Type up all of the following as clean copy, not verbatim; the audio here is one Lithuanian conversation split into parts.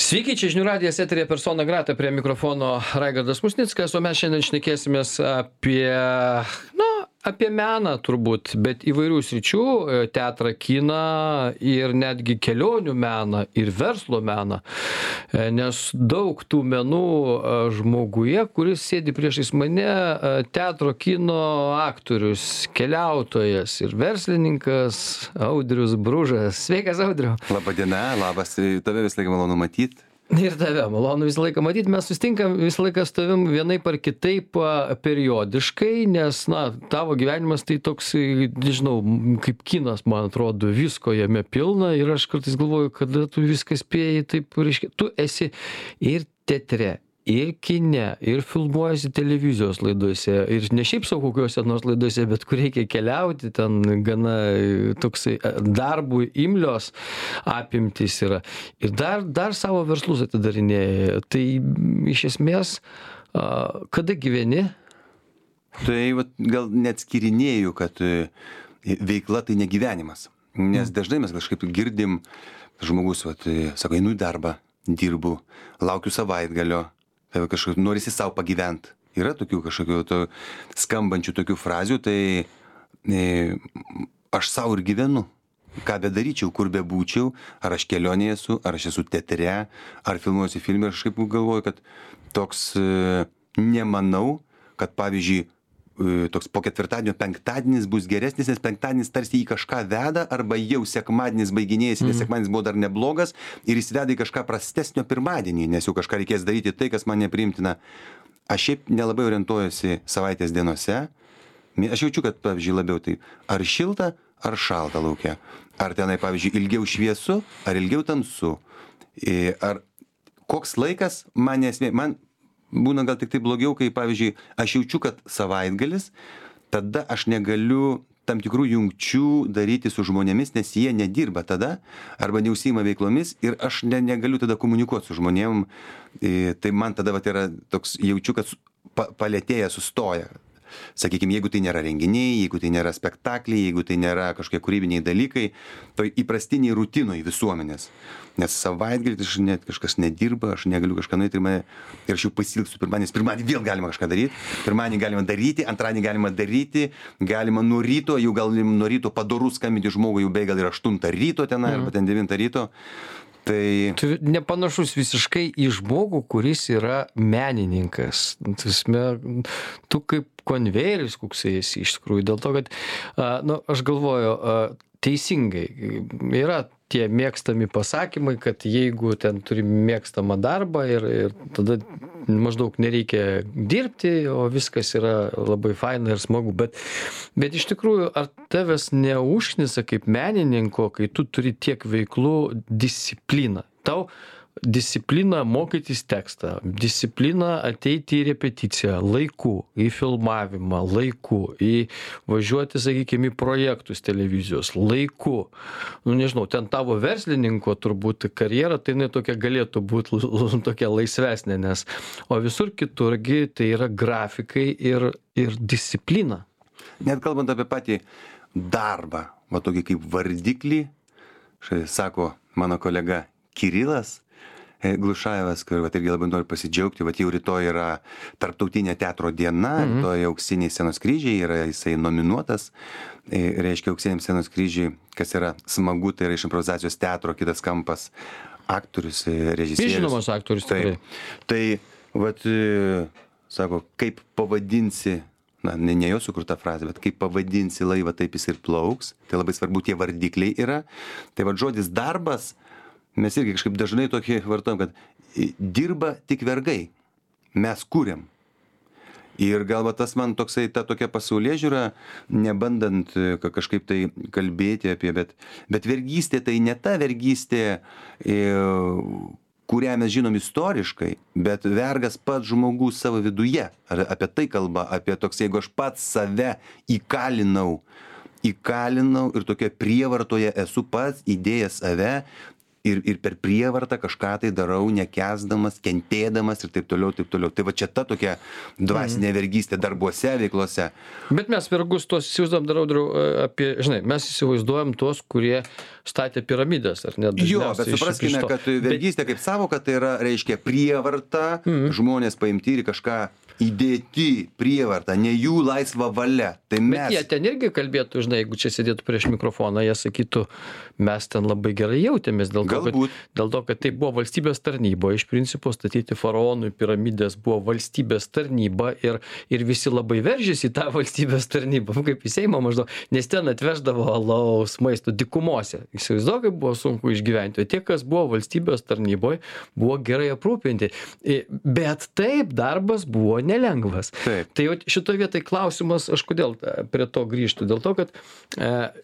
Sveiki, čia žinių radijas eterija persona grata, prie mikrofono Raigardas Musnickas, o mes šiandien šnekėsimės apie meną turbūt, bet įvairių sričių - teatrą, kiną ir netgi kelionių meną ir verslo meną, nes daug tų menų žmoguje, kuris sėdi priešais mane, teatro, kino aktorius, keliautojas ir verslininkas Audrius Bružas. Sveikas, Audriau. Labą dieną, labas, tave visą laiką malonu matyti. Ir tave malonu visą laiką matyti, mes susitinkam visą laiką su tavim vienaip ar kitaip periodiškai, nes, tavo gyvenimas tai toks, nežinau, kaip kinas, man atrodo, visko jame pilna ir aš kartais galvoju, kada tu viską spėjai, taip, reiškia, tu esi ir teatre, ir kine, ir filmuojasi televizijos laidose, ir ne šiaip sau kokiuose nors laidose, bet kur reikia keliauti, ten gana toksai darbui imlios apimtys yra. Ir dar savo verslus atidarinėja. Tai iš esmės, kada gyveni? Tai gal net skirinėjau, kad veikla tai ne gyvenimas. Nes dažnai mes kažkaip girdim, žmogus, sako, einu į darbą, dirbu, laukiu savaitgalio, kažkaip norisi savo pagyventi. Yra tokių kažkokių skambančių tokių frazių, tai aš savo ir gyvenu. Ką bedaryčiau, kur bebūčiau, ar aš kelionėje esu, ar aš esu teatre, ar filmuojuosi filme, aš kaip galvoju, kad toks nemanau, kad pavyzdžiui, toks po ketvirtadienio penktadienis bus geresnis, nes penktadienis tarsi į kažką veda, arba jau sekmadienis baiginėjasi, nes sekmadienis buvo dar neblogas ir jis veda į kažką prastesnio pirmadienį, nes jau kažką reikės daryti tai, kas man nepriimtina. Aš šiaip nelabai orientuojuosi savaitės dienose. Aš jaučiu, kad, pavyzdžiui, labiau tai ar šilta, ar šalta laukia. Ar tenai, pavyzdžiui, ilgiau šviesu, ar ilgiau tamsu. Ar koks laikas man nesmė. Man būna gal tik tai blogiau, kai, pavyzdžiui, aš jaučiu, kad savaitgalis, tada aš negaliu tam tikrų jungčių daryti su žmonėmis, nes jie nedirba tada, arba neužsiima veiklomis ir aš negaliu tada komunikuoti su žmonėm. Tai man tada yra toks, jaučiu, kad palėtėja, sustoja. Sakykime, jeigu tai nėra renginiai, jeigu tai nėra spektakliai, jeigu tai nėra kažkokie kūrybiniai dalykai, tai įprastiniai rutinoj visuomenės. Nes savaitgalį net kažkas nedirba, aš negaliu kažką nueiti ir aš jau pasilgsiu pirmadienį vėl galima kažką daryti, pirmadienį galima daryti, antradienį galima daryti, galima nuo ryto, jau gal nuo ryto padorų skambinti žmogui, jau beveik gal ir 8 ryto tenai, arba ten 9 ryto. Tai tu nepanašus visiškai į žmogų, kuris yra menininkas. Tu kaip konvejeris koksai esi iš tikrųjų, dėl to, kad, aš galvoju, teisingai, yra tie mėgstami pasakymai, kad jeigu ten turi mėgstamą darbą ir tada maždaug nereikia dirbti, o viskas yra labai faina ir smagu, bet iš tikrųjų, ar tavęs neužknisa kaip menininko, kai tu turi tiek veiklų discipliną? Tau disciplina mokytis tekstą, disciplina ateiti į repeticiją laiku, į filmavimą laiku, į važiuoti, sakykime, į projektus televizijos laiku. Nežinau, ten tavo verslininko turbūt karjera, tai jinai tokia galėtų būti tokia laisvesnė, nes o visur kiturgi tai yra grafikai ir disciplina. Net kalbant apie patį darbą, tokį kaip vardiklį, sako mano kolega Kirilas Glušajevas, kur irgi labai noriu pasidžiaugti, jau rytoj yra Tarptautinė teatro diena, rytoj Auksiniai scenos kryžiai, jisai nominuotas, reiškia Auksiniam scenos kryžiai, kas yra smagu, tai yra iš improvizacijos teatro kitas kampas, aktorius, režisierius. Žinomas aktorius. Tai, sako, kaip pavadinsi, ne jo sukurta frazė, bet kaip pavadinsi laivą, taip jis ir plauks, tai labai svarbu tie vardikliai yra. Tai žodis darbas, mes irgi kažkaip dažnai tokį vartojam, kad dirba tik vergai, mes kūrėm. Ir gal tas man toksai, ta tokia pasaulėžiūra, nebandant kažkaip tai kalbėti apie, bet vergystė tai ne ta vergystė, kurią mes žinom istoriškai, bet vergas pats žmogus savo viduje. Apie tai kalba, apie toks, jeigu aš pats save įkalinau ir tokia prievartoje esu pats įdėjęs save, ir per prievartą kažką tai darau, nekęsdamas, kentėdamas ir taip toliau, taip toliau. Tai va čia ta tokia dvasinė vergystė darbuose, veiklose. Bet mes vergus tuos įsivaizduojam, darau apie, žinai, mes įsivaizduojam tuos, kurie statė piramidės, ar ne? Jo, bet supraskime, kad vergystė kaip savoka tai yra, reiškia, prievarta, žmonės paimti ir kažką įdėti prievartą, ne jų laisva valia. Tai mes... Bet jie ten irgi kalbėtų, žinai, jeigu čia sėdėtų prieš mikrofoną, jie sakytų, mes ten labai gerai jautėmės dėl to, kad tai buvo valstybės tarnyba. Iš principo statyti faraonui piramidės buvo valstybės tarnyba ir visi labai veržėsi į tą valstybės tarnybą, kaip į Seimą maždaug, nes ten atveždavo alaus, maisto dykumose. Įsivaizduoju, kaip buvo sunku išgyventi. O tie, kas buvo valstybės tarnyboje, buvo gerai aprūpinti. Bet taip, darbas buvo nelengvas. Taip. Tai šitoje vietoje klausimas, aš kodėl prie to grįžtu, dėl to, kad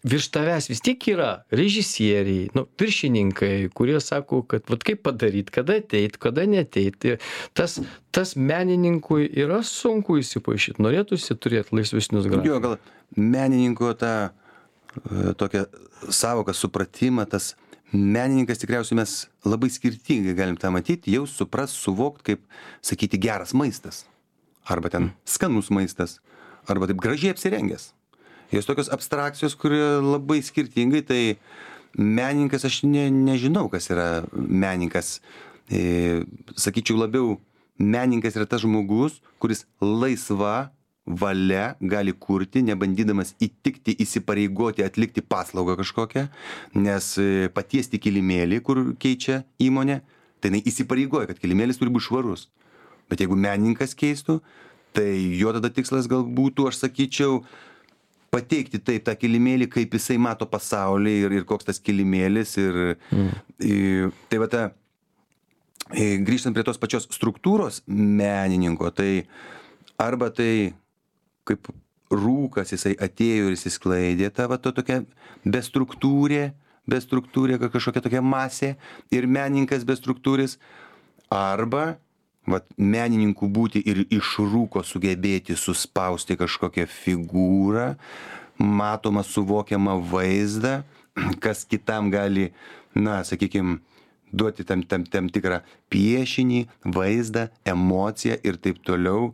virš tavęs vis tiek yra režisieriai, viršininkai, kurie sako, kad vat kaip padaryti, kada ateit, kada neteit. Tas menininkui yra sunku įsipaišyti, norėtųsi turėti laisvesnius grafikus. Jo, gal menininko tą tokią savoką, supratimą, tas menininkas tikriausiai mes labai skirtingai galim tą matyti, jau supras, suvokt, kaip sakyti geras maistas. Arba ten skanus maistas, arba taip gražiai apsirengęs. Jos tokios abstrakcijos, kurie labai skirtingai, tai menininkas, aš nežinau, kas yra menininkas. Sakyčiau labiau, menininkas yra tas žmogus, kuris laisva valia gali kurti, nebandydamas įtikti, įsipareigoti, atlikti paslaugą kažkokią, nes patiesti kilimėlį, kur keičia įmonė, tai jinai įsipareigoja, kad kilimėlis turi būti švarus. Bet jeigu menininkas keistų, tai jo tada tikslas gal būtų, aš sakyčiau, pateikti taip tą kilimėlį, kaip jisai mato pasaulį ir koks tas kilimėlis. Tai va grįžtant prie tos pačios struktūros menininko, tai arba tai kaip rūkas jisai atėjo ir įsisklaidė, ta va tokia bestruktūrė, kažkokia tokia masė ir menininkas bestruktūris, arba vat menininkų būti ir iš rūko sugebėti suspausti kažkokią figūrą, matomą, suvokiamą vaizdą, kas kitam gali, sakykim, duoti tam tikrą piešinį, vaizdą, emociją ir taip toliau.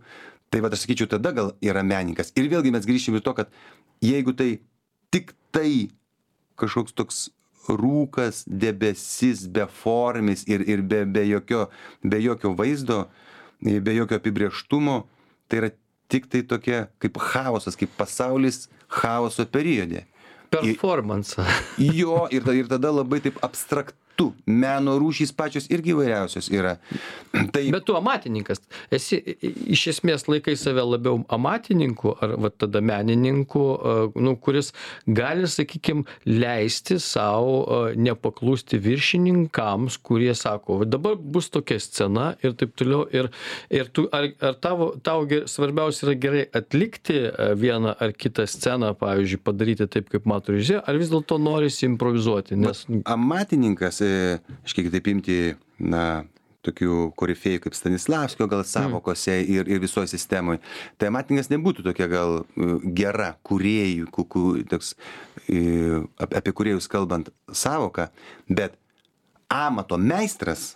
Tai vat aš sakyčiau, tada gal yra menininkas. Ir vėlgi mes grįšim į to, kad jeigu tai tik tai kažkoks toks rūkas, debesis, beformis ir be jokio vaizdo, be jokio apibrėžtumo, tai yra tik tai tokia kaip chaosas, kaip pasaulis chaoso periode. Performance. Jo, ir tada labai taip abstraktu. Meno rūšys pačios irgi įvairiausios yra. Bet tu amatininkas. Esi iš esmės laikai save labiau amatininku ar va tada menininku, kuris gali, sakykim, leisti savo nepaklusti viršininkams, kurie sako, dabar bus tokia scena ir taip toliau. Ir tu, ar tau svarbiausia yra gerai atlikti vieną ar kitą sceną, pavyzdžiui, padaryti taip, kaip mato režisierius, ar vis dėlto norisi improvizuoti? Nes... Amatininkas, aš kiek taip imti, tokių korifėjų kaip Stanislavskio gal savokose ir visoje sistemoje. Tai amatininkas nebūtų tokia gal gera kūrėjų, toks, apie kūrėjus kalbant savoką, bet amato meistras,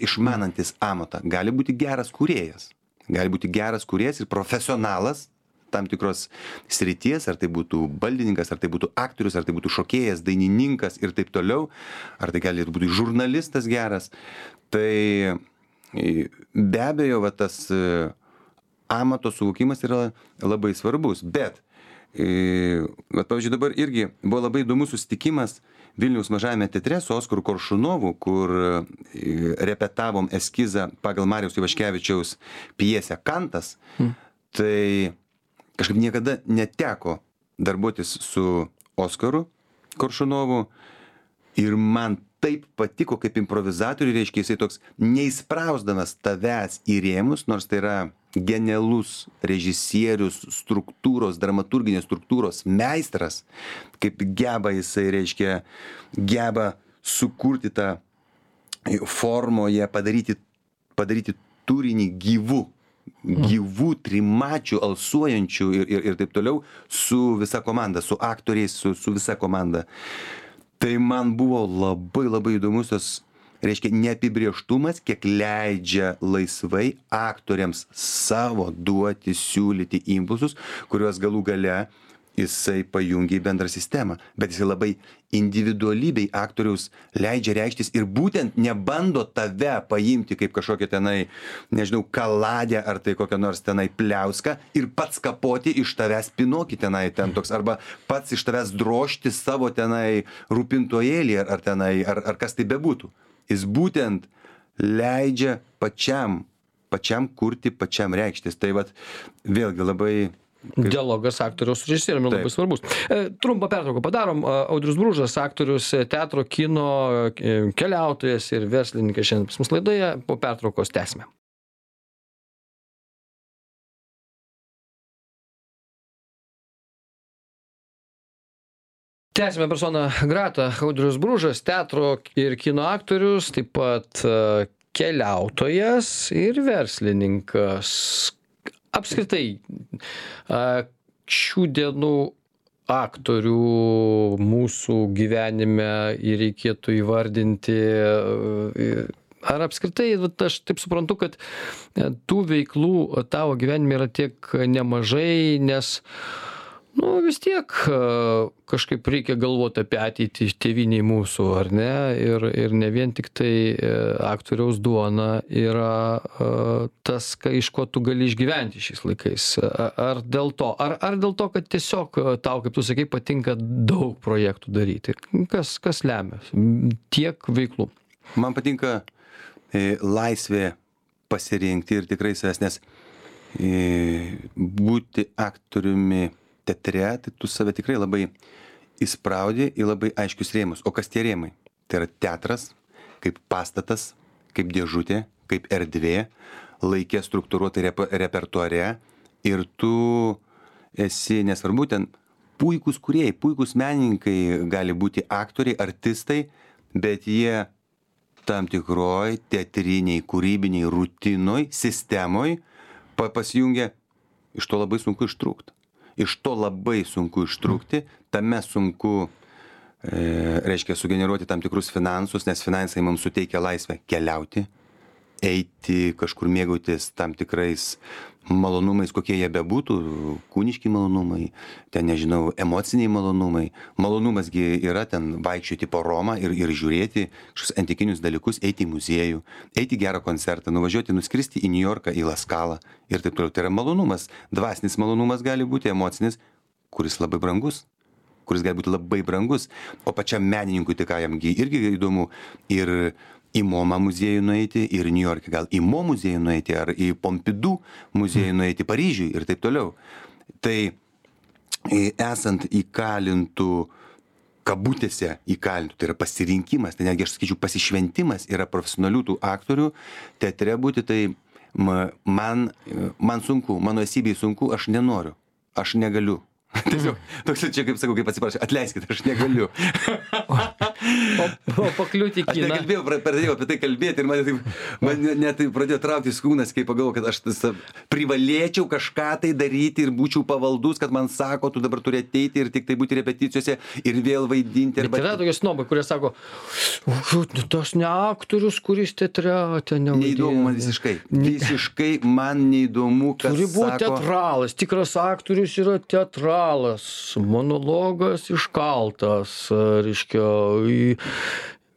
išmanantis amatą, gali būti geras kūrėjas. Gali būti geras kūrėjas ir profesionalas tam tikros srities, ar tai būtų baldininkas, ar tai būtų aktorius, ar tai būtų šokėjas, dainininkas ir taip toliau, ar tai gali būti žurnalistas geras. Tai be abejo, tas amato suvokimas yra labai svarbus. Bet, pavyzdžiui, dabar irgi buvo labai įdomus susitikimas Vilniaus mažajame teatre su Oskaru Koršunovu, kur repetavom eskizą pagal Mariaus Ivaškevičiaus pjesę Kantas. Tai kažkaip niekada neteko darbuotis su Oskaru Koršunovu ir man taip patiko kaip improvizatoriui, reiškia, jisai toks neįsprausdamas tavęs į rėmus, nors tai yra genialus režisierius, struktūros, dramaturginės struktūros meistras, kaip geba jisai, reiškia, geba sukurti tą formoje, padaryti turinį gyvų, trimačių, alsuojančių ir taip toliau su visa komanda, su aktoriais, su visa komanda. Tai man buvo labai labai įdomus tas, reiškia, neapibrieštumas, kiek leidžia laisvai aktoriams savo duoti, siūlyti impulsus, kuriuos galų gale jisai pajungia į bendrą sistemą. Bet jisai labai individualybei aktoriaus leidžia reikštis ir būtent nebando tave paimti kaip kažkokią tenai, nežinau, kaladę ar tai kokią nors tenai pliauską ir pats kapoti iš tavęs pinokį tenai ten toks, arba pats iš tavęs drožti savo tenai rūpintojėlį ar tenai, ar kas tai bebūtų. Jis būtent leidžia pačiam kurti, pačiam reikštis. Tai vat vėlgi labai Dialogas aktoriaus su režisieriumi labai svarbus. Trumpą pertrauką padarom. Audrius Bružas, aktorius, teatro, kino keliautojas ir verslininkas šiandien pas mus laidoje. Po pertraukos tęsime. Tęsime personą gratą. Audrius Bružas, teatro ir kino aktorius, taip pat keliautojas ir verslininkas. Apskritai, šių dienų aktorių mūsų gyvenime reikėtų įvardinti, ar apskritai, aš taip suprantu, kad tų veiklų tavo gyvenime yra tiek nemažai, nes vis tiek kažkaip reikia galvoti apie ateitį tėvynėj mūsų, ar ne? Ir ne vien tik tai aktoriaus duona yra tas, iš ko tu gali išgyventi šiais laikais. Ar dėl to, kad tiesiog tau, kaip tu sakai, patinka daug projektų daryti? Kas lemia tiek veiklų? Man patinka laisvė pasirinkti ir tikrai savęs, nes būti aktoriumi teatre, tai tu save tikrai labai įspraudi į labai aiškius rėmus. O kas tie rėmai? Tai yra teatras, kaip pastatas, kaip dėžutė, kaip erdvė, laikė struktūruotai repertuare ir tu esi, nesvarbu, ten puikūs kūrėjai, puikūs menininkai gali būti aktoriai, artistai, bet jie tam tikroj teatriniai, kūrybiniai rutinoj, sistemoj pasijungia, iš to labai sunku ištrūkti. Iš to labai sunku ištrūkti, tame sunku, reiškia, sugeneruoti tam tikrus finansus, nes finansai mums suteikia laisvę keliauti, eiti kažkur mėgautis tam tikrais malonumais, kokie jie bebūtų, kūniški malonumai, ten, nežinau, emociniai malonumai. Malonumasgi yra ten vaikščioti po Romą ir žiūrėti kažkokius antikinius dalykus, eiti į muziejų, eiti į gerą koncertą, nuvažiuoti, nuskristi į Niujorką, į Laskalą ir taip toliau. Tai yra malonumas. Dvasinis malonumas gali būti, emocinis, kuris labai brangus. O pačiam menininkui, tai ką jamgi irgi įdomu, ir į MoMA muziejų nueiti, ir Niujorke gal į Mo muziejų nueiti, ar į Pompidou muziejų nueiti Paryžiui ir taip toliau. Tai esant įkalintų, kabutėse įkalintų, tai yra pasirinkimas, tai netgi aš sakyčiau pasišventimas yra profesionalių tų aktorių teatre būti, tai man sunku, mano esybei sunku, aš nenoriu, aš negaliu. Tiesiog, toks čia, kaip sakau, kaip atsiprašau, atleiskite, aš negaliu. O pakliūti į kiną. Aš nekalbėjau, pradėjau apie tai kalbėti ir man net pradėjo trauktis kūnas, kai pagalvojau, kad aš privalėčiau kažką tai daryti ir būčiau pavaldus, kad man sako, tu dabar turi ateiti ir tik tai būti repeticijose ir vėl vaidinti. Bet yra tokie snobai, kurie sako, tas ne aktorius, kuris teatre ten nevaidina. Neįdomu man visiškai. Visiškai man neįdomu, kas sako. Turi būti teatralas, tikras aktorius yra teatralas. Monologas iškaltas, reiškia,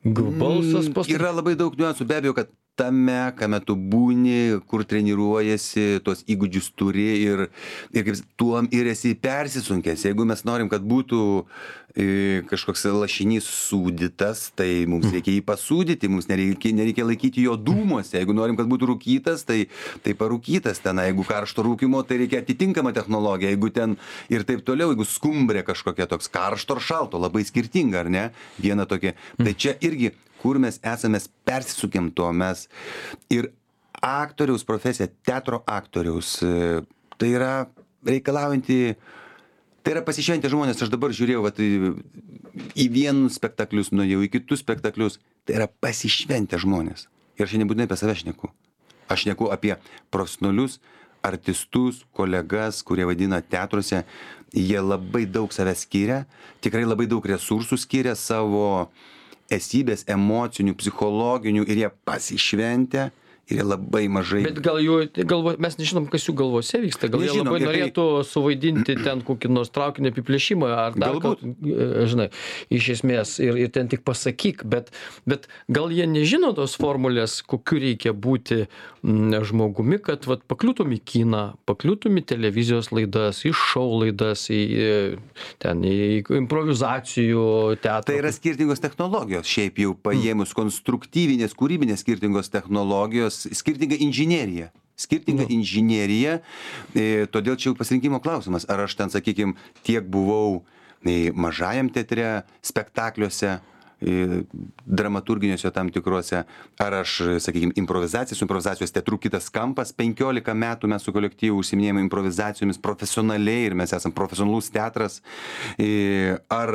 balsas Yra labai daug niuansų, be abejo, kad tame, kame tu būni, kur treniruojasi, tuos įgūdžius turi ir kaip tuom ir esi persisunkęs. Jeigu mes norim, kad būtų kažkoks lašinys sūdytas, tai mums reikia jį pasūdyti, mums nereikia laikyti jo dūmuose. Jeigu norim, kad būtų rūkytas, tai parūkytas ten. Jeigu karšto rūkymo, tai reikia atitinkamą technologiją. Jeigu ten ir taip toliau, jeigu skumbrė kažkokia toks karšto ar šalto, labai skirtinga, ar ne? Viena tokia. Tai čia irgi kur mes esame, persisukėm to mes. Ir aktoriaus profesija, teatro aktoriaus, tai yra reikalaujanti, tai yra pasišventę žmonės. Aš dabar žiūrėjau į vienus spektaklius, nuėjau į kitus spektaklius, tai yra pasišventę žmonės. Ir aš nebūtinai apie save šneku. Aš šneku apie profesionalius artistus, kolegas, kurie vaidina teatruose, jie labai daug savęs skiria, tikrai labai daug resursų skiria savo esybės, emocinių, psichologinių ir jie pasišventę. Ir jie labai mažai. Bet gal mes nežinom, kas jų galvose vyksta. Gal Nežinom, jie labai norėtų suvaidinti ten kokį nors traukinio apiplėšimą ar dar žinai, iš esmės ir ten tik pasakyk, bet gal jie nežino tos formulės, kokiu reikia būti žmogumi, kad vat, pakliūtum į kiną, pakliūtum į televizijos laidas, į šou laidas, į improvizacijų teatrą. Tai yra skirtingos technologijos, šiaip jau paėmus konstruktyvinės, kūrybinės skirtingos technologijos, skirtinga inžinerija. Todėl čia jau pasirinkimo klausimas. Ar aš ten, sakykime, tiek buvau mažajam teatre, spektakliuose, dramaturginiuose tam tikruose, ar aš, sakykime, su improvizacijos teatru kitas kampas, 15 metų mes su kolektyvu užsiminėjome improvizacijomis profesionaliai ir mes esam profesionalus teatras, ar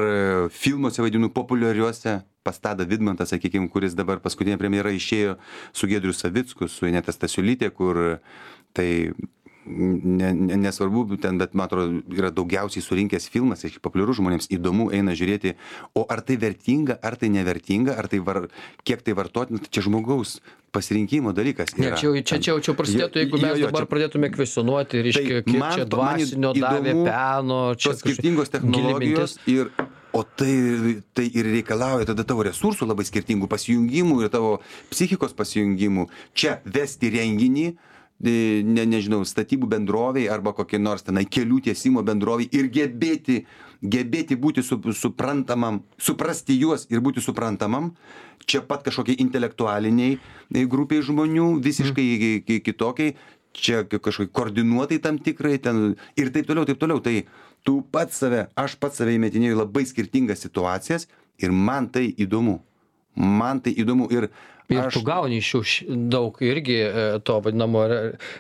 filmuose vaidinu populiariuose, pas Tadą Vidmantą, sakykime, kuris dabar paskutinė premjera išėjo su Giedriu Savicku, su Ineta Stasiulytė, kur tai nesvarbu ten, bet man atrodo, yra daugiausiai surinkęs filmas, populiarus žmonėms, įdomu eina žiūrėti, o ar tai vertinga, ar tai nevertinga, ar tai kiek tai vartotina, tai čia žmogaus pasirinkimo dalykas yra. Ne, čia prasidėtų, jeigu mes dabar pradėtume kvestionuoti, reiškia, kiek čia dvasinio davė peno, čia skirtingos technologijos ir o tai ir reikalauja tada tavo resursų labai skirtingų pasijungimų ir tavo psichikos pasijungimų. Čia vesti renginį, nežinau, statybų bendroviai arba kokie nors tenai kelių tiesimo bendroviai ir gebėti būti suprantamam, suprasti juos ir būti suprantamam, čia pat kažkokiai intelektualiniai grupiai žmonių, visiškai kitokiai, čia kažkokiai koordinuotai tam tikrai ten ir taip toliau. Tai aš pats save įmetinėjau labai skirtingas situacijas ir man tai įdomu. Ir tu gauni iš jų daug irgi to vadinamo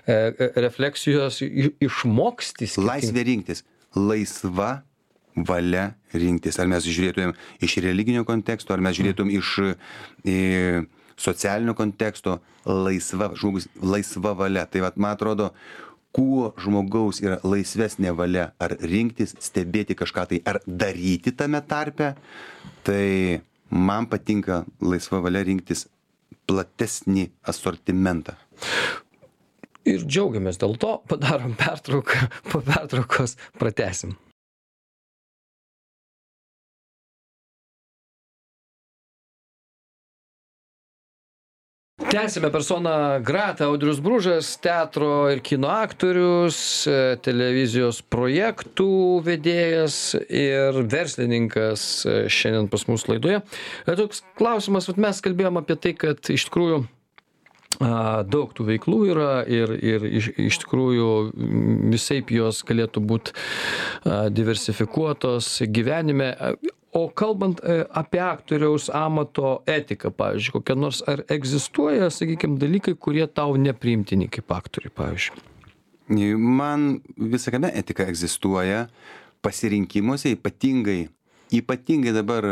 refleksijos išmoksti. Laisvė rinktis. Laisva valia rinktis. Ar mes žiūrėtumėm iš religinio konteksto, ar mes žiūrėtumėm iš socialinio konteksto. Laisva valia. Tai vat, man atrodo, kuo žmogaus yra laisvesnė valia ar rinktis, stebėti kažką tai, ar daryti tame tarpe, tai man patinka laisva valia rinktis platesnį asortimentą. Ir džiaugiamės dėl to, padarom pertrauką, po pertraukos pratęsim. Tęsime persona grata, Audrius Bružas, teatro ir kino aktorius, televizijos projektų vedėjas ir verslininkas šiandien pas mus laidoje. Toks klausimas, mes kalbėjom apie tai, kad iš tikrųjų daug tų veiklų yra ir iš tikrųjų visaip jos galėtų būti diversifikuotos gyvenime. O kalbant apie aktoriaus amato etiką, pavyzdžiui, kokia nors, ar egzistuoja, sakykime, dalykai, kurie tau nepriimtini kaip aktoriui, pavyzdžiui? Man visakame etika egzistuoja pasirinkimuose, ypatingai dabar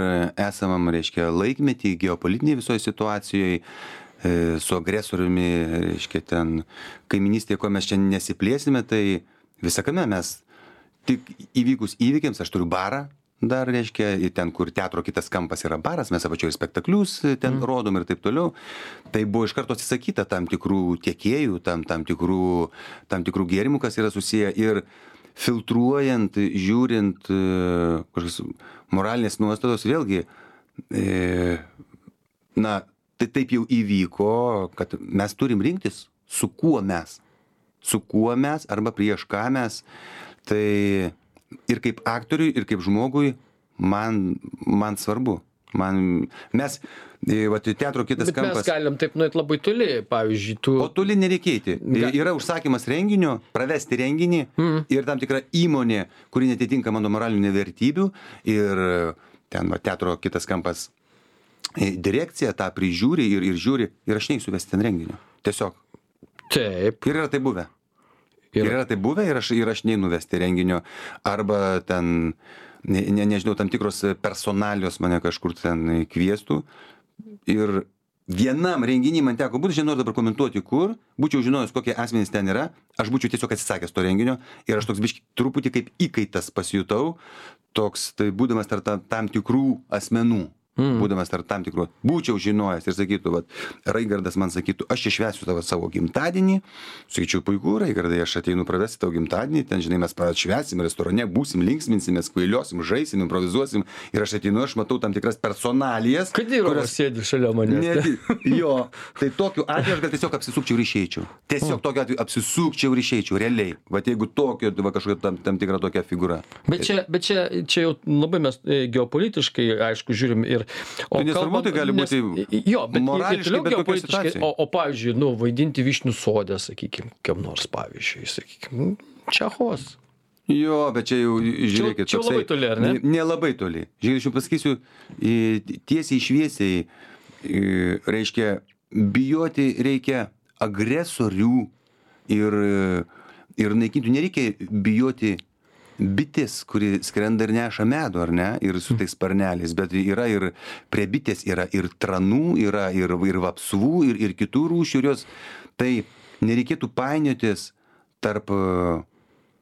esamam, reiškia, laikmetį, geopolitiniai visoje situacijoje, su agresoriumi, reiškia, ten kaiminystėje, ko mes čia nesiplėsime, tai visakame mes tik įvykus įvykiams, aš turiu barą, dar, reiškia, ten, kur teatro kitas kampas yra baras, mes apačioje spektaklius ten rodom ir taip toliau. Tai buvo iš karto atsisakyta tam tikrų tiekėjų, tam tikrų gėrimų, kas yra susiję ir filtruojant, žiūrint kažkokios moralinės nuostatos, vėlgi, tai taip jau įvyko, kad mes turim rinktis, su kuo mes arba prieš ką mes. Tai ir kaip aktoriui, ir kaip žmogui man svarbu. Mes, teatro kitas kampas. Mes galim taip nuėti labai toli, pavyzdžiui, O toli nereikėti. Yra užsakymas renginio, pravesti renginį ir tam tikra įmonė, kuri netitinka mano moralinių vertybių ir ten teatro kitas kampas direkcija tą prižiūri ir žiūri ir aš neįsiu vesti ten renginio. Tiesiog. Taip. Ir yra tai buvę. Ir aš neinu vesti renginio. Arba ten, nežinau, tam tikros personalijos mane kažkur ten kviestų. Ir vienam renginy man teko būt, aš nenoriu dabar komentuoti kur, būčiau žinojęs, kokie asmenys ten yra, aš būčiau tiesiog atsisakęs to renginio ir aš toks biški truputį kaip įkaitas pasijutau, toks, tai būdamas tarp tam tikrų asmenų. Būdamas tarp tam tikrų, būčiau žinojęs ir sakytų, vat, Raigardas man sakytų, aš čia švęsiu savo gimtadienį, sakyčiau, puiku, Raigardai, aš ateinu pravesti tavo gimtadienį, ten, žinai, mes švęsim restorane, būsim, linksminsimės, kvailiosim, žaisim, improvizuosim ir aš ateinu, aš matau tam tikras personalijas. Kadirovas sėdi šalia manęs. Jo, tai tokiu atveju aš gal tiesiog apsisukčiau ir išeičiau. Tiesiog tokiu atveju apsisukčiau ir išeičiau, realiai. Vat jeigu tokio, va, kažkokia tam tikra tokia figūra. Bet čia jau labai mes geopolitiškai, aišku, žiūrim ir Tai nesvarbu, tai gali būti morališkai, bet kokia situacija. O pavyzdžiui, vaidinti Vyšnių sode, sakykime, kiam nors pavyzdžiui, sakykime, Čechovas. Jo, bet čia jau, žiūrėkit, čia labai toli, ar ne? Nelabai toli. Žiūrėkit, aš pasakysiu, tiesiai šviesiai, reiškia, bijoti reikia agresorių ir naikinti. Nereikia bijoti bitės, kuri skrenda ir neša medų, ar ne, ir su tais sparneliais, bet yra ir prie bitės yra ir tranų, yra ir vapsvų, ir kitų rūšių, ir jos, tai nereikėtų painiotis tarp,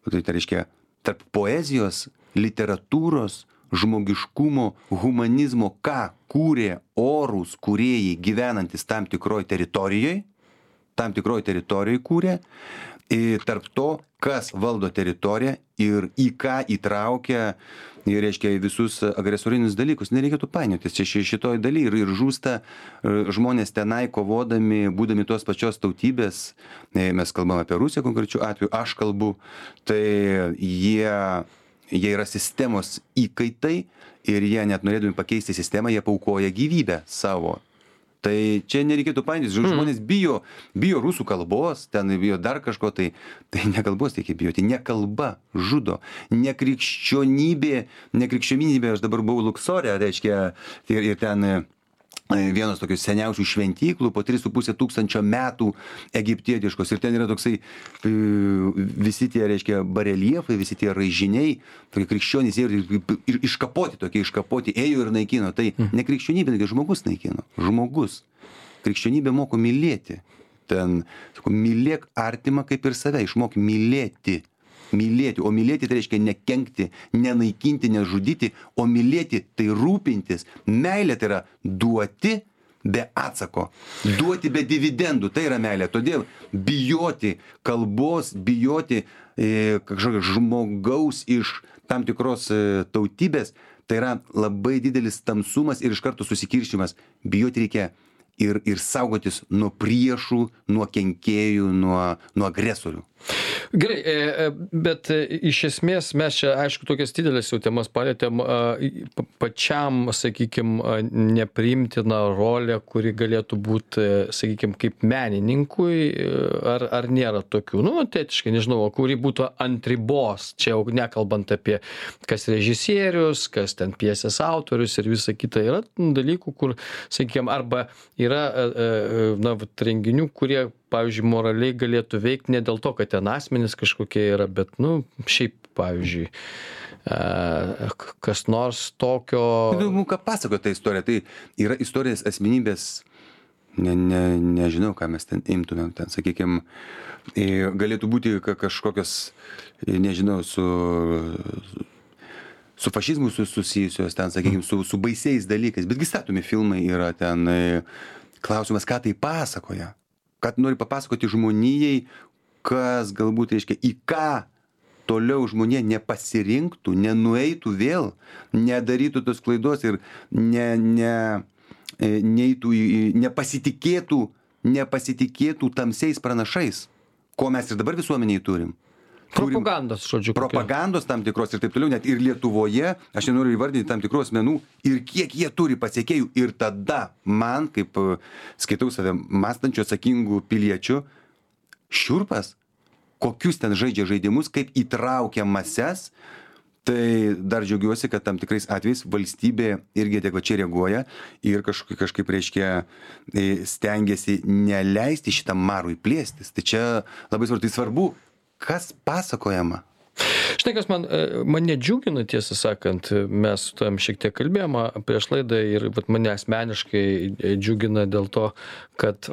tai reiškia, tarp poezijos, literatūros, žmogiškumo, humanizmo, ką kūrė orūs kūrėjai gyvenantis tam tikroj teritorijoje kūrė, ir tarp to, kas valdo teritoriją ir į ką įtraukia, ir reiškia visus agresorinius dalykus. Nereikėtų painiotis čia šitoj daly ir žūsta žmonės tenai kovodami, būdami tos pačios tautybės, mes kalbam apie Rusiją konkrečiu atveju, aš kalbu, tai jie yra sistemos įkaitai ir jie net norėdami pakeisti sistemą, jie paaukoja gyvybę savo. Tai čia nereikėtų painiotis, žmonės bijo rusų kalbos, ten bijo dar kažko, tai ne kalbos reikia bijoti, ne kalba žudo, ne krikščionybė, aš dabar buvau Luksore, reiškia, ir ten vienos tokių seniausių šventyklų, po 3,5 tūkstančio metų egiptietiškos, ir ten yra toksai visi tie, reiškia, bareliefai, visi tie raižiniai, tokie krikščionys ir iškapoti ėjo ir naikino. Tai ne krikščionybė, tai žmogus naikino. Žmogus. Krikščionybė moko mylėti. Ten, sako, mylėk artimą kaip ir save, išmok mylėti. Mylėti, o mylėti tai reiškia nekenkti, nenaikinti, nežudyti, o mylėti tai rūpintis. Meilė tai yra duoti be atsako, duoti be dividendų, tai yra meilė. Todėl bijoti kalbos, bijoti kažkokio žmogaus iš tam tikros tautybės, tai yra labai didelis tamsumas ir iš karto susikiršimas. Bijoti reikia ir saugotis nuo priešų, nuo kenkėjų, nuo agresorių. Gerai, bet iš esmės mes čia, aišku, tokias didelės jau temas palėtėm, pačiam, sakykime, nepriimtina rolė, kuri galėtų būti, sakykime, kaip menininkui, ar nėra tokių, tėtiškai, nežinau, kuri būtų ant ribos, čia jau nekalbant apie kas režisierius, kas ten pjesės autorius ir visa kita, yra dalykų, kur, sakykime, arba yra renginių, kurie, pavyzdžiui, moraliai galėtų veikti ne dėl to, kad ten asmenys kažkokie yra, bet, šiaip, pavyzdžiui, kas nors tokio... Ką pasakoja ta istorija? Tai yra istorijos asmenybės, nežinau, ką mes ten imtumėm, ten, sakykime, galėtų būti kažkokios, nežinau, su fašizmu susijusios, ten, sakykime, su baisiais dalykais, betgi statomi filmai yra ten, klausimas, ką tai pasakoja. Kad nori papasakoti žmonijai, kas galbūt, reiškia, į ką toliau žmonija nepasirinktų, nenueitų vėl, nedarytų tos klaidos ir nepasitikėtų tamsiais pranašais, ko mes ir dabar visuomeniai turim. Propagandos, žodžiu. Propagandos tam tikros ir taip toliau, net ir Lietuvoje, aš nenoriu įvardinti tam tikros asmenų, ir kiek jie turi pasiekėjų. Ir tada man, kaip skaitau save mąstančiu, atsakingų piliečių, šiurpas, kokius ten žaidžia žaidimus, kaip įtraukia mases, tai dar džiaugiuosi, kad tam tikrais atvejais valstybė irgi adekvačiai reaguoja ir kažkaip, reiškia, stengiasi neleisti šitam marui plėstis. Tai čia labai svarbu, kas pasakojama, Žinai, kas mane džiugina, tiesą sakant, mes su tavim šiek tiek kalbėjome prieš laidą ir vat, mane asmeniškai džiugina dėl to, kad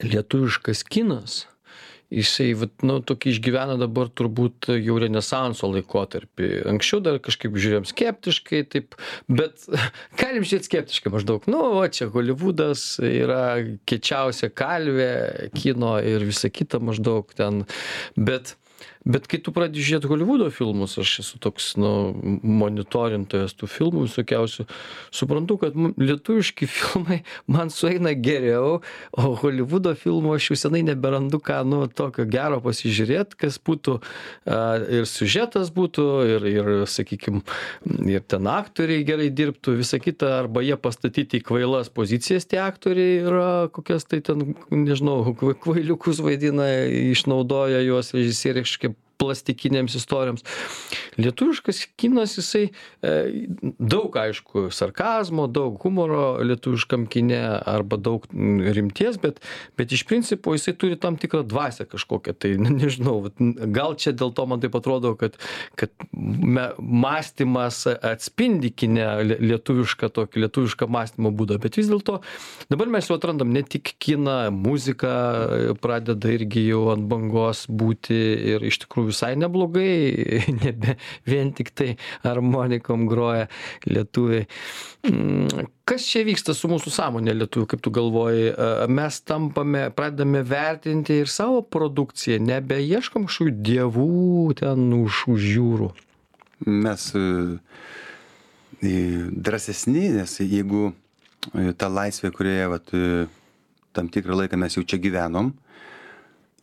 lietuviškas kinas, jisai vat, nu, tokį išgyvena dabar turbūt jau renesanso laikotarpį. Anksčiau dar kažkaip žiūrėjom skeptiškai, taip, bet galim žiūrėti skeptiškai maždaug. Nu, o čia Holivudas yra kiečiausia kalvė kino ir visa kita maždaug ten. Bet kai tu pradedi žiūrėti Holivudo filmus, aš esu toks, nu, monitorintojas tų filmų visokiausių, suprantu, kad lietuviški filmai man sueina geriau, o Holivudo filmų aš jau senai neberandu ką, nu, tokio gero pasižiūrėti, kas būtų ir siužetas būtų, ir sakykime, ir ten aktoriai gerai dirbtų, visa kita, arba jie pastatyti į kvailas pozicijas tie aktoriai yra, kokias tai ten, nežinau, kvailiukus vaidina, išnaudoja juos režisieriai kažkaip plastikinėms istorijoms. Lietuviškas kinas, jisai daug, aišku, sarkazmo, daug humoro lietuviškam kine arba daug rimties, bet iš principo jisai turi tam tikrą dvasią kažkokią. Tai nežinau, gal čia dėl to man taip atrodo, kad mąstymas atspindi kine lietuvišką mąstymo būdą. Bet vis dėlto dabar mes jau atrandam ne tik kiną, muzika pradeda irgi jau ant bangos būti ir iš tikrųjų visai neblogai, nebe vien tik tai harmonikom groja lietuviai. Kas čia vyksta su mūsų sąmonė lietuvių, kaip tu galvoji? Mes pradedame vertinti ir savo produkciją, nebeieškom kažkokių dievų ten už jūrų. Mes drąsesni, nes jeigu ta laisvė, kurioje vat, tam tikrą laiką mes jau čia gyvenom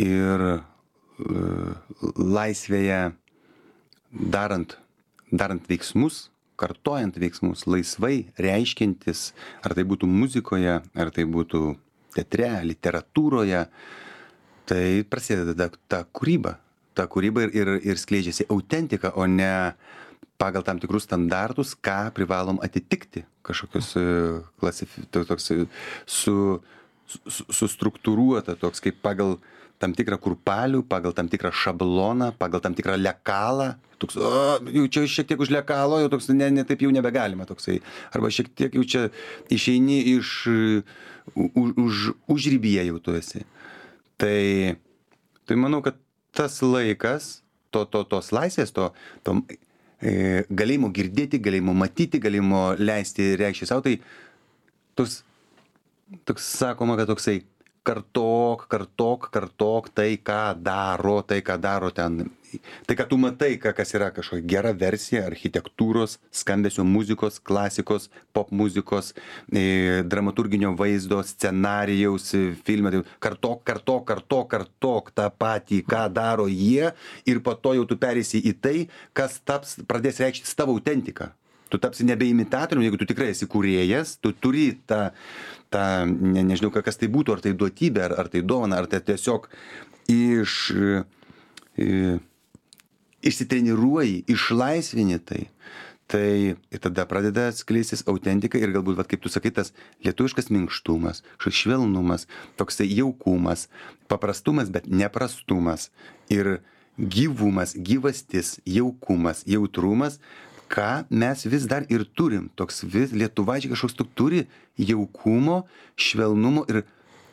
ir laisvėje darant veiksmus, kartojant veiksmus, laisvai reiškintis, ar tai būtų muzikoje, ar tai būtų teatre, literatūroje, tai prasideda ta kūryba ir skleidžiasi autentika, o ne pagal tam tikrus standartus, ką privalom atitikti, kažkokius toks sustruktūruota, toks kaip pagal tam tikrą kurpalių, pagal tam tikrą šabloną, pagal tam tikrą lekalą. Toks, jau čia šiek tiek už lekalo, jau toks, ne, taip jau nebegalima toksai. Arba šiek tiek jau čia išeini už ribyje jau tu esi. Tai manau, kad tas laikas, tos laisvės, galėjimo girdėti, galėjimo matyti, galėjimo leisti reikšti savo, tai toks sakoma, kad toksai kartok tai, ką daro ten, tai, ką tu matai, kas yra kažkokia gera versija architektūros, skambesio muzikos, klasikos, pop muzikos, dramaturginio vaizdo, scenarijaus, filme, kartok tą patį, ką daro jie, ir po to jau tu pereisi į tai, kas pradės reikšti tavo autentiką. Tu tapsi nebe imitatorium, jeigu tu tikrai esi kūrėjas, tu turi nežinau, kas tai būtų, ar tai duotybė, ar tai dovana, ar tai tiesiog išsitreniruoji, išlaisvini tai. Tai ir tada pradeda skleistis autentika ir galbūt, kaip tu sakai, tas lietuviškas minkštumas, švelnumas, toksai jaukumas, paprastumas, bet neprastumas ir gyvumas, gyvastis, jaukumas, jautrumas, ką mes vis dar ir turim. Toks lietuvaičiai kažkoks turi jaukumo, švelnumo ir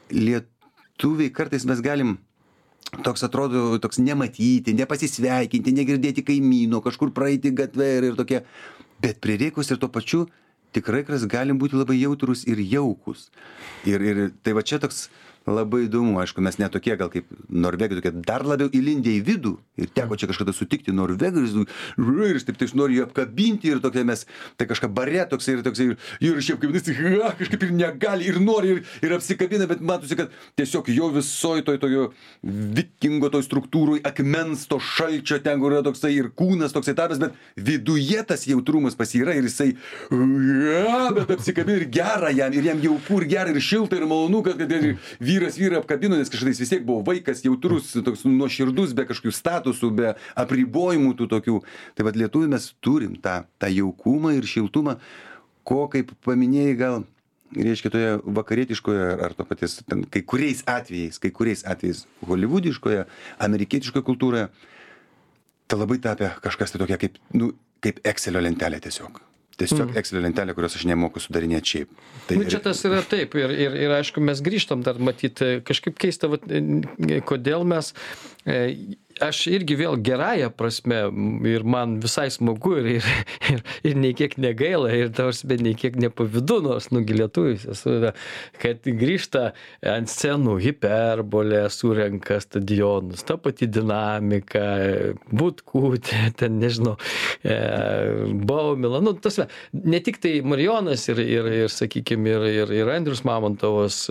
lietuviai kartais mes galim toks atrodo, toks nematyti, nepasisveikinti, negirdėti kaimyno, kažkur praeiti gatvę ir tokie. Bet prireikus ir tuo pačiu tikrai galim būti labai jautrus ir jaukus. Ir tai va čia toks labai įdomu, aišku, mes ne tokie gal kaip norvegai, tokie dar labiau įlindę į vidų. Ir teko čia kažkada sutikti norvegai ir taip nori jį apkabinti ir tokie mes, tai kažką bare toksai ir šiaip kaip kažkaip ir negali ir nori ir apsikabina, bet matosi, kad tiesiog jo visoj tokio vikingo toj struktūroj akmens to šalčio ten, kur yra toksai ir kūnas toksai tarpas, bet viduje tas jautrumas pas yra ir jisai bet apsikabina ir gera jam, ir jam jauku ir gera ir šilta ir malonu, kad vyras vyrą apkabino, nes kažkada jis vis tiek buvo vaikas, jautrus, toks nuoširdus, be kažkokių statusų, be apribojimų tų tokių. Tai vat lietuviai mes turim tą jaukumą ir šiltumą, ko, kaip paminėjai, gal, reiškia, toje vakarietiškoje, ar to paties, ten, kai kuriais atvejais, holivudiškoje, amerikietiškoje kultūroje, tai labai tapę kažkas tai tokia kaip Excelio lentelė tiesiog. Tiesiog Excelio lentelė, kurios aš nemoku sudarinėti šiaip. Tai čia tas yra taip ir aišku, mes grįžtam dar matyti, kažkaip keista, kodėl mes, aš irgi vėl gerąją prasme ir man visai smagu ir nei kiek negaila ir tarsi nei kiek nepavydu, nors lietuvis esu, kad grįžta ant scenų hiperbolė, surenka stadionus, ta pati dinamika, Butkutė, ten nežinau, Baumila, ne tik tai Marijonas ir sakykime, ir Andrius Mamontovas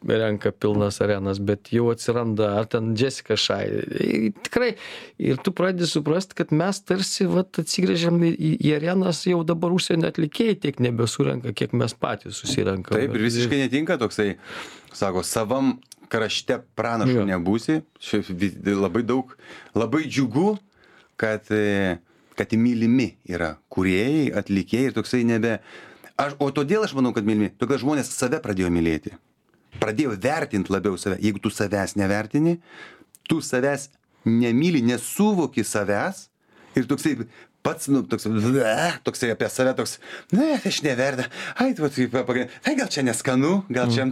renka pilnas arenas, bet jau atsiranda, ar ten Jessica Šai. Tikrai, ir tu pradedi suprasti, kad mes tarsi atsigręžiam į arenas, jau dabar užsienio atlikėjai tiek nebesurenka, kiek mes patys susirenkam. Taip, ir visiškai netinka toksai, sako, savam krašte pranašu nebūsi. Labai daug, labai džiugu, kad mylimi yra kūrėjai, atlikėjai ir toksai o todėl aš manau, kad mylimi, todėl žmonės save pradėjo mylėti. Pradėjo vertinti labiau save. Jeigu tu savęs nevertini, tu savęs nemyli, nesuvoki savęs ir toksai pats, toksai apie save toks, aš neverda, tai gal čia neskanu, gal čia,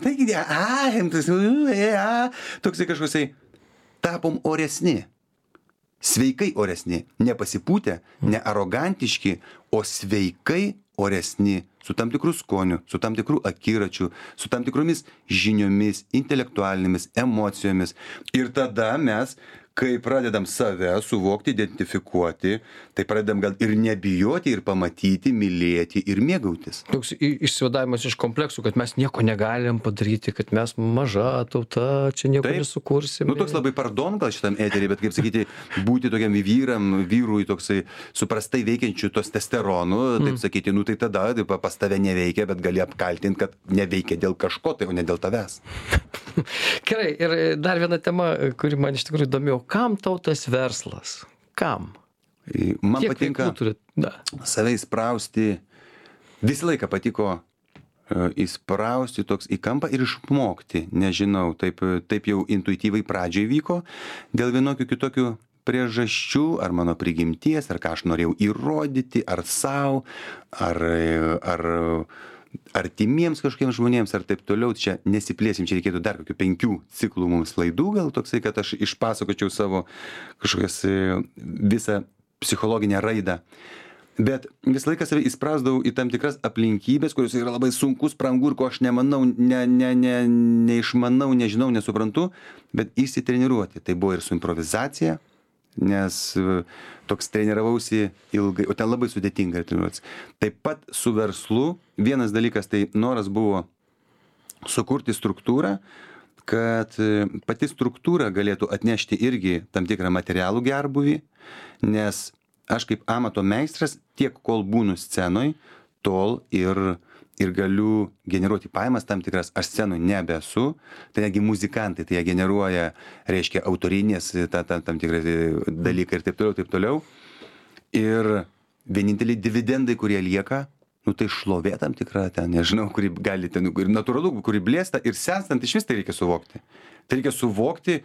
toksai kažkoksai, tapom oresni, sveikai oresni, nepasipūtę, ne arogantiški, o sveikai oresni, su tam tikrų skonių, su tam tikrų akiračių, su tam tikromis žiniomis, intelektualinėmis, emocijomis. Ir tada mes, kai pradedam save suvokti, identifikuoti, tai pradedam gal ir nebijoti, ir pamatyti, mylėti ir mėgautis. Toks išsivadavimas iš kompleksų, kad mes nieko negalim padaryti, kad mes maža tauta, čia nieko nesukursim. Toks labai pardon gal šitam eterį, bet kaip sakyti, būti tokiam vyrui toksai suprastai veikiančių testosteronų, taip sakyti, tai tada pas tave neveikia, bet gali apkaltinti, kad neveikia dėl kažko, tai o ne dėl tavęs. Gerai, ir dar viena tema, kuri man iš tikrųjų įdomiau. Kam tau tas verslas? Kam? Man patinka save įsprausti, visą laiką patiko įsprausti toks į kampą ir išmokti, nežinau, taip jau intuityvai pradžiai vyko, dėl vienokių kitokių priežasčių, ar mano prigimties, ar ką aš norėjau įrodyti, ar savo, ar artimiems kažkokiems žmonėms, ar taip toliau, čia nesiplėsim, čia reikėtų dar kokių 5 ciklų mums laidų, gal toksai, kad aš išpasakočiau savo kažkokias visą psichologinę raidą. Bet visą laiką save įsprausdavau į tam tikras aplinkybės, kurios yra labai sunkus, brangu ir ko aš nemanau, neišmanau, nežinau, nesuprantu, bet įsitreniruoti. Tai buvo ir su improvizacija, nes toks treniravausi ilgai, o ten labai sudėtinga treniruotis. Taip pat su verslu, vienas dalykas, tai noras buvo sukurti struktūrą, kad pati struktūra galėtų atnešti irgi tam tikrą materialų gerbūvį, nes aš kaip amato meistras, tiek kol būnu scenoj, tol ir galiu generuoti pajamas tam tikras, aš scenoj nebesu, tai negi muzikantai, tai jie generuoja, reiškia, autorinės tam tikrai dalykai ir taip toliau. Ir vieninteliai dividendai, kurie lieka, tai šlovė tam tikra, ten, nežinau, kuri gali, ten, ir natūralu, kuri blėsta, ir senstant iš vis tai reikia suvokti. Tai reikia suvokti,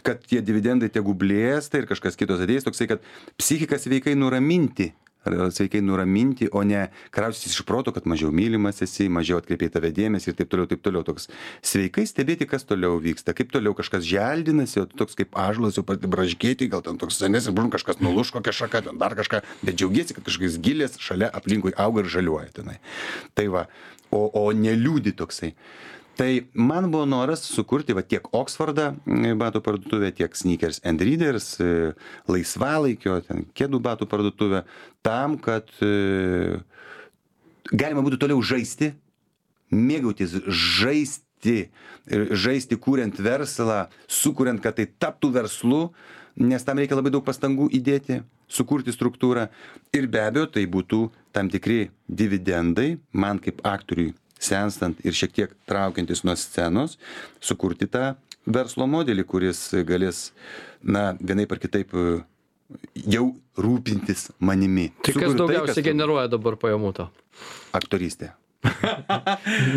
kad tie dividendai tegu blėsta ir kažkas kitos ateis, toksai, kad psichiką sveikai nuraminti, o ne kraustytis iš proto, kad mažiau mylimas esi, mažiau atkreipiai tave dėmesį ir taip toliau. Toks sveikai stebėti, kas toliau vyksta, kaip toliau kažkas želdinasi, o toks kaip ąžuolas jau braškėti, gal ten toks senesnis, kažkas nuluš kokią šaką, ten dar kažką, bet džiaugiesi, kad kažkas gilės šalia aplinkui auga ir žaliuoja tenai. Tai va, o neliūdi toksai. Tai man buvo noras sukurti tiek Oksfordą batų parduotuvę, tiek Sneakers and Readers, laisvalaikio, kėdų batų parduotuvę, tam, kad galima būtų toliau žaisti, mėgautis, žaisti, kuriant verslą, sukuriant, kad tai taptų verslu, nes tam reikia labai daug pastangų įdėti, sukurti struktūrą. Ir be abejo, tai būtų tam tikri dividendai man kaip aktoriui, senstant ir šiek tiek traukiantis nuo scenos, sukurti tą verslo modelį, kuris galės, vienaip ar kitaip jau rūpintis manimi. Tai kas daugiausiai generuoja dabar pajamų to? Aktorystė.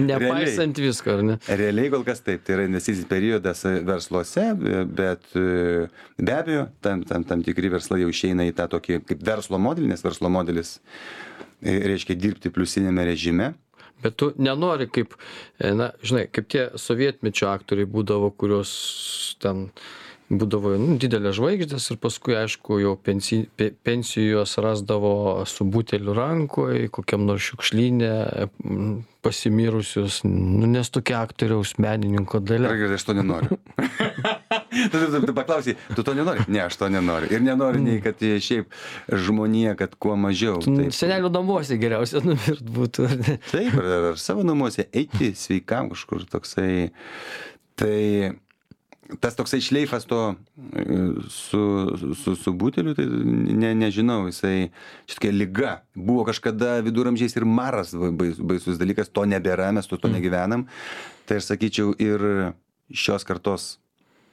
Nepaisant visko, ar ne? Realiai kol kas taip, tai yra investicinis periodas versluose, bet be abejo, tam tikri verslai jau išeina į tą tokį kaip verslo modelį, nes verslo modelis reiškia dirbti pliusinėme režime. Bet tu nenori kaip, na, žinai, kaip tie sovietmečio aktoriai būdavo, kurios ten būdavo didelės žvaigždės ir paskui, aišku, jau pensijos rasdavo su buteliu rankoje, kokiam nors šiukšlyne, pasimirusius, nes tokia aktoriaus menininko dalia. Gerai, aš to nenoriu. Tu paklausai, tu to nenori? Ne, aš to nenoriu. Ir nenoriu nei, kad šiaip žmonija, kad kuo mažiau. Senelių namuose geriausia numirt būtų. Taip, ar savo namuose eiti sveikam kažkur toksai. Tai tas toksai šleifas to su buteliu, tai nežinau, jisai šitokia liga. Buvo kažkada viduramžiais ir maras baisus dalykas, to nebėra, mes to negyvenam. Tai aš sakyčiau, ir šios kartos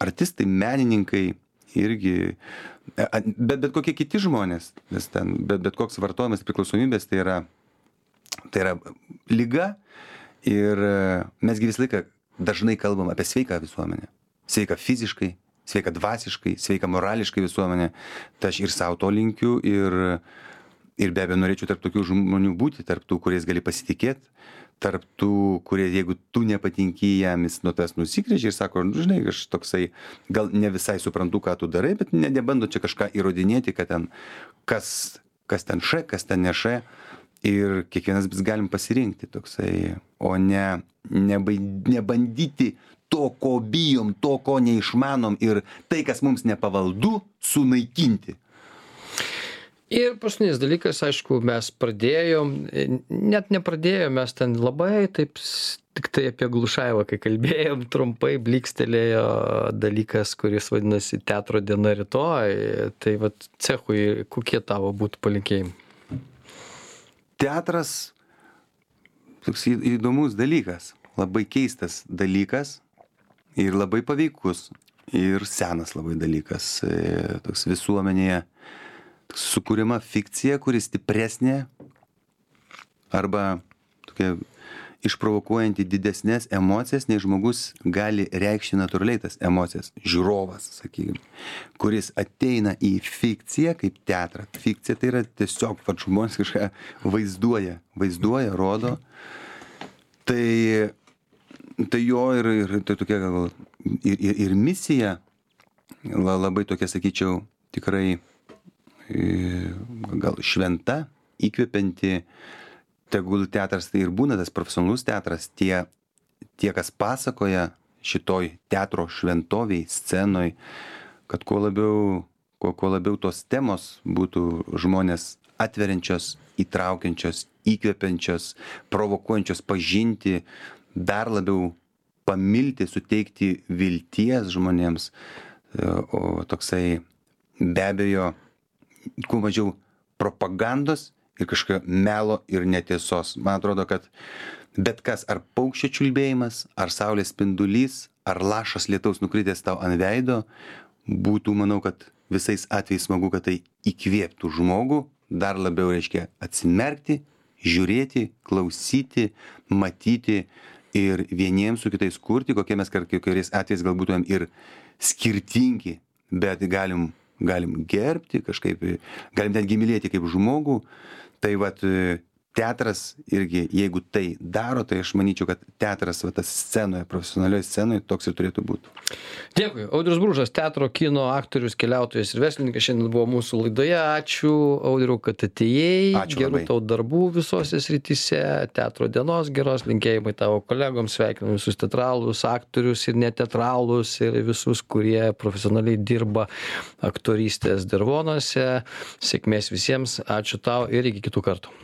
artistai, menininkai irgi, bet kokie kiti žmonės, nes ten, bet koks vartojimas priklausomybės, tai yra liga ir mesgi visą laiką dažnai kalbam apie sveiką visuomenę. Sveika fiziškai, sveika dvasiškai, sveika morališkai visuomenė. Tai aš ir savo to linkiu ir be abejo norėčiau tarp tokių žmonių būti, tarp tų, kuriais gali pasitikėti, tarp tų, kurie, jeigu tu nepatinki jam, jis nuo tas nusigręžia ir sako, žinai, aš toksai, gal ne visai suprantu, ką tu darai, bet nebando čia kažką įrodinėti, kad ten kas ten š, kas ten ne š. Ir kiekvienas vis galim pasirinkti toksai, o nebandyti to, ko bijom, to, ko neišmanom ir tai, kas mums nepavaldu, sunaikinti. Ir paskutinis dalykas, aišku, mes pradėjom, net nepradėjom, mes ten labai taip, tik tai apie Glušajevą, kai kalbėjom, trumpai blikstelėjo dalykas, kuris vadinasi Teatro diena rytoj. Tai vat cechui, kokie tavo būtų palinkėjimai? Teatras toks įdomus dalykas, labai keistas dalykas ir labai paveikus ir senas labai dalykas. Toks visuomenėje sukūrima fikcija, kuri stipresnė arba tokia išprovokuojanti didesnės emocijas, nei žmogus gali reikšti natūraliai tas emocijas. Žiūrovas, sakykime, kuris ateina į fikciją kaip teatrą. Fikcija tai yra tiesiog žmonės kažką vaizduoja, rodo. Tai jo ir tai tokia gal ir misija labai tokia, sakyčiau, tikrai gal šventa, įkvepianti. Tegul teatras tai ir būna tas profesionalus teatras, tie, kas pasakoja šitoj teatro šventoviai, scenoj, kad kuo labiau tos temos būtų žmonės atveriančios, įtraukiančios, įkvepiančios, provokuojančios pažinti, dar labiau pamilti, suteikti vilties žmonėms, o toksai be abejo, kuo mažiau propagandos ir kažkokio melo ir netiesos. Man atrodo, kad bet kas, ar paukščio čiulbėjimas, ar saulės spindulys, ar lašas lietaus nukritęs tau ant veido, būtų, manau, kad visais atvejais smagu, kad tai įkvėptų žmogų, dar labiau reiškia atsimerkti, žiūrėti, klausyti, matyti ir vieniems su kitais kurti, kokie mes kokiais atvejais gal būtumėm ir skirtingi, bet galim gerbti kažkaip, galim netgi mylėti kaip žmogų. Tai vat teatras irgi, jeigu tai daro, tai aš manyčiau, kad teatras tas scenoje, profesionalioje scenoje toks ir turėtų būti. Dėkui. Audrius Bružas, teatro, kino aktorius, keliautojas ir verslininkas šiandien buvo mūsų laidoje. Ačiū, Audriau, kad atėjai. Ačiū Gerų labai. tau darbų visose srityse, teatro dienos geros, linkėjimai tavo kolegoms, sveikinu visus teatralus, aktorius ir neteatralus ir visus, kurie profesionaliai dirba aktorystės dirvonuose. Sėkmės visiems, ačiū tau ir iki kitų kartų.